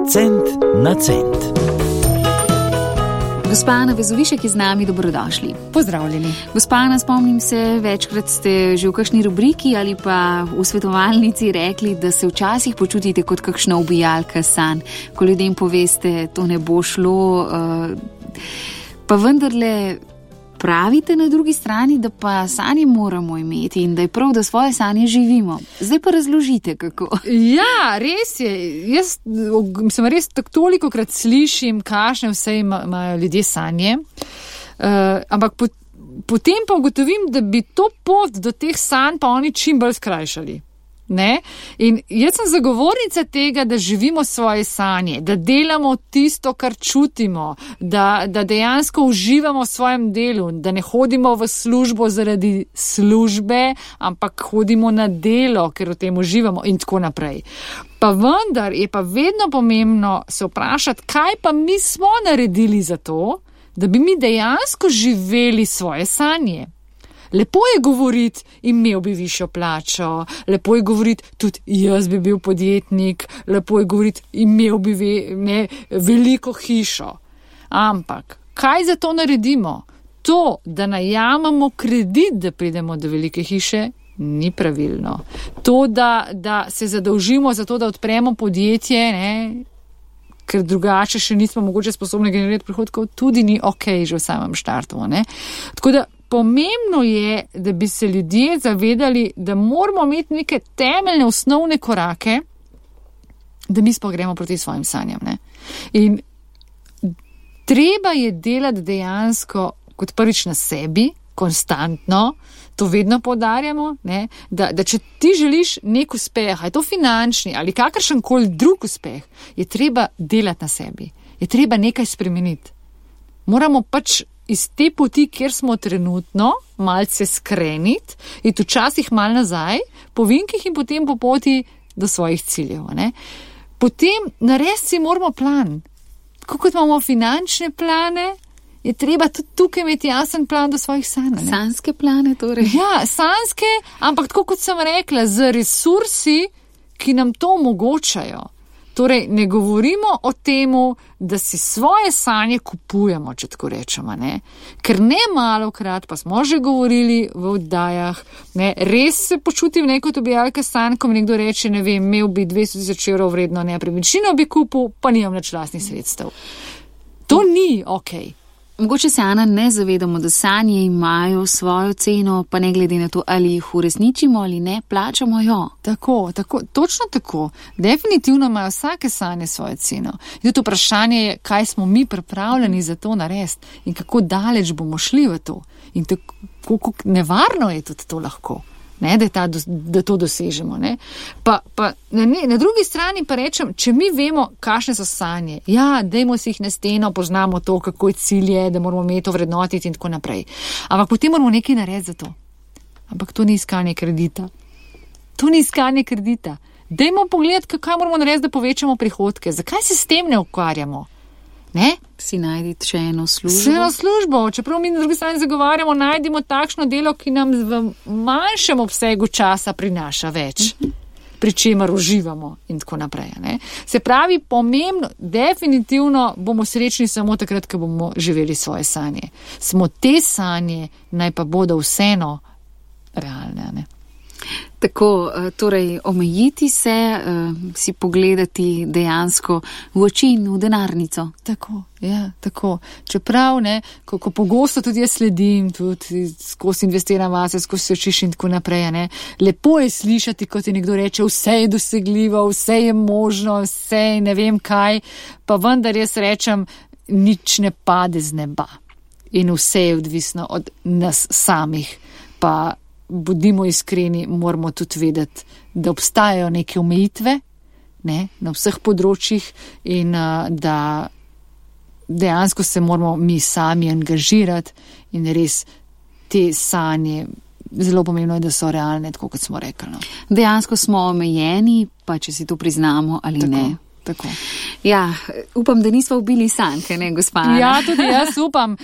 Cent na cent. Gospa Ana Vezovišek je z nami, dobrodošli. Pozdravljeni. Gospa Ana, spomnim se, večkrat ste že v kakšni rubriki ali pa v svetovalnici rekli, da se včasih počutite kot kakšna ubijalka sanj, ko ljudem poveste, to ne bo šlo, pa vendarle pravite na drugi strani, da pa sanje moramo imeti in da je prav, da svoje sanje živimo. Zdaj pa razložite, kako. Ja, res je. Jaz sem res tolikokrat slišim, kakšne vse imajo ljudje sanje, ampak potem pa ugotovim, da bi to pot do teh sanj pa oni čim bolj skrajšali. Ne? In jaz sem zagovornica tega, da živimo svoje sanje, da delamo tisto, kar čutimo, da dejansko uživamo v svojem delu, da ne hodimo v službo zaradi službe, ampak hodimo na delo, ker v tem uživamo in tako naprej. Pa vendar je pa vedno pomembno se vprašati, kaj pa mi smo naredili za to, da bi mi dejansko živeli svoje sanje. Lepo je govoriti, imel bi višjo plačo, lepo je govoriti, tudi jaz bi bil podjetnik, lepo je govoriti, imel bi veliko hišo. Ampak, kaj za to naredimo? To, da najamemo kredit, da pridemo do velike hiše, ni pravilno. To, da se zadolžimo za to, da odpremo podjetje, ker drugače še nismo mogoče sposobni generirati prihodkov, tudi ni okej že v samem štartu. Tako da pomembno je, da bi se ljudje zavedali, da moramo imeti neke temeljne, osnovne korake, da mi sploh gremo proti svojim sanjam. In treba je delati dejansko kot prvič na sebi, konstantno, to vedno poudarjamo, da če ti želiš nek uspeh, je to finančni ali kakršenkoli drug uspeh, je treba delati na sebi, je treba nekaj spremeniti. Moramo pač iz te poti, kjer smo trenutno, malce skreniti, iti včasih mal nazaj, po vinkih in potem po poti do svojih ciljev. Potem narediti si moramo plan. Tako kot imamo finančne plane, je treba tudi tukaj imeti jasen plan do svojih sanj. Sanjske plane torej? Ja, sanjske, ampak tako kot sem rekla, z resursi, ki nam to omogočajo. Torej, ne govorimo o temu, da si svoje sanje kupujemo, če tako rečemo, Ker ne malokrat, pa smo že govorili v oddajah, res se počutim kot ubijalka sanj, ko mi nekdo reče, imel bi 200,000 evrov vredno nepremičnino bi kupil, pa nimam nič lastnih sredstev. To ni okej. Mogoče se, Ana, ne zavedamo, da sanje imajo svojo ceno, pa ne glede na to, ali jih uresničimo ali ne, plačamo jo. Tako, točno tako. Definitivno imajo vsake sanje svojo ceno. In tudi vprašanje je, kaj smo mi pripravljeni za to narediti in kako daleč bomo šli v to. In kako nevarno je tudi to lahko. Da to dosežemo. Pa na drugi strani pa rečem, če mi vemo, kakšne so sanje, dajmo si jih na steno, poznamo to, kako je cilje, da moramo imeti to vrednotiti in tako naprej. Ampak potem moramo nekaj narediti za to. Ampak to ni iskanje kredita. Dajmo pogledati, kaj moramo narediti, da povečamo prihodke. Zakaj se s tem ne ukvarjamo? Si najditi še eno službo. Čeprav mi na drugi strani zagovarjamo, najdimo takšno delo, ki nam v manjšem obsegu časa prinaša več, pri čemer uživamo in tako naprej. Se pravi, pomembno, definitivno bomo srečni samo takrat, ko bomo živeli svoje sanje. Smo te sanje, naj pa bodo vseeno realne. Tako, torej omejiti se, si pogledati dejansko v oči in v denarnico. Tako. Čeprav, ko pogosto tudi jaz sledim, tudi skozi investiram vase, skozi se učiš in tako naprej, lepo je slišati, kot ti nekdo reče, vse je dosegljivo, vse je možno, vse je ne vem kaj, pa vendar jaz rečem, nič ne pade z neba. In vse je odvisno od nas samih, pa bodimo iskreni, moramo tudi vedeti, da obstajajo neke omejitve na vseh področjih in da dejansko se moramo mi sami angažirati in res te sanje, zelo pomembno je, da so realne, tako kot smo rekli. Dejansko smo omejeni, pa če si to priznamo ali ne. Tako. Ja, upam, da nismo ubili sanke, ne, gospa Ana? Ja, tudi jaz upam,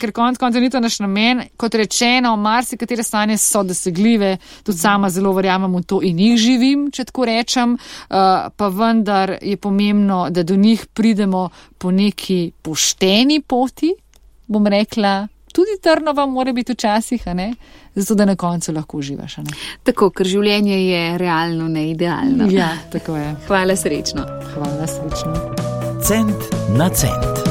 ker konec ni to naš namen. Kot rečeno, marsikatere sanje so dosegljive, tudi sama zelo verjamem v to in jih živim, če tako rečem, pa vendar je pomembno, da do njih pridemo po neki pošteni poti, bom rekla, tudi trnova mora biti včasih, a ne? Zato, da na koncu lahko uživaš, a ne? Tako, ker življenje je realno, ne idealno. Ja, tako je. Hvala, srečno. Hvala, srečno. Cent na cent.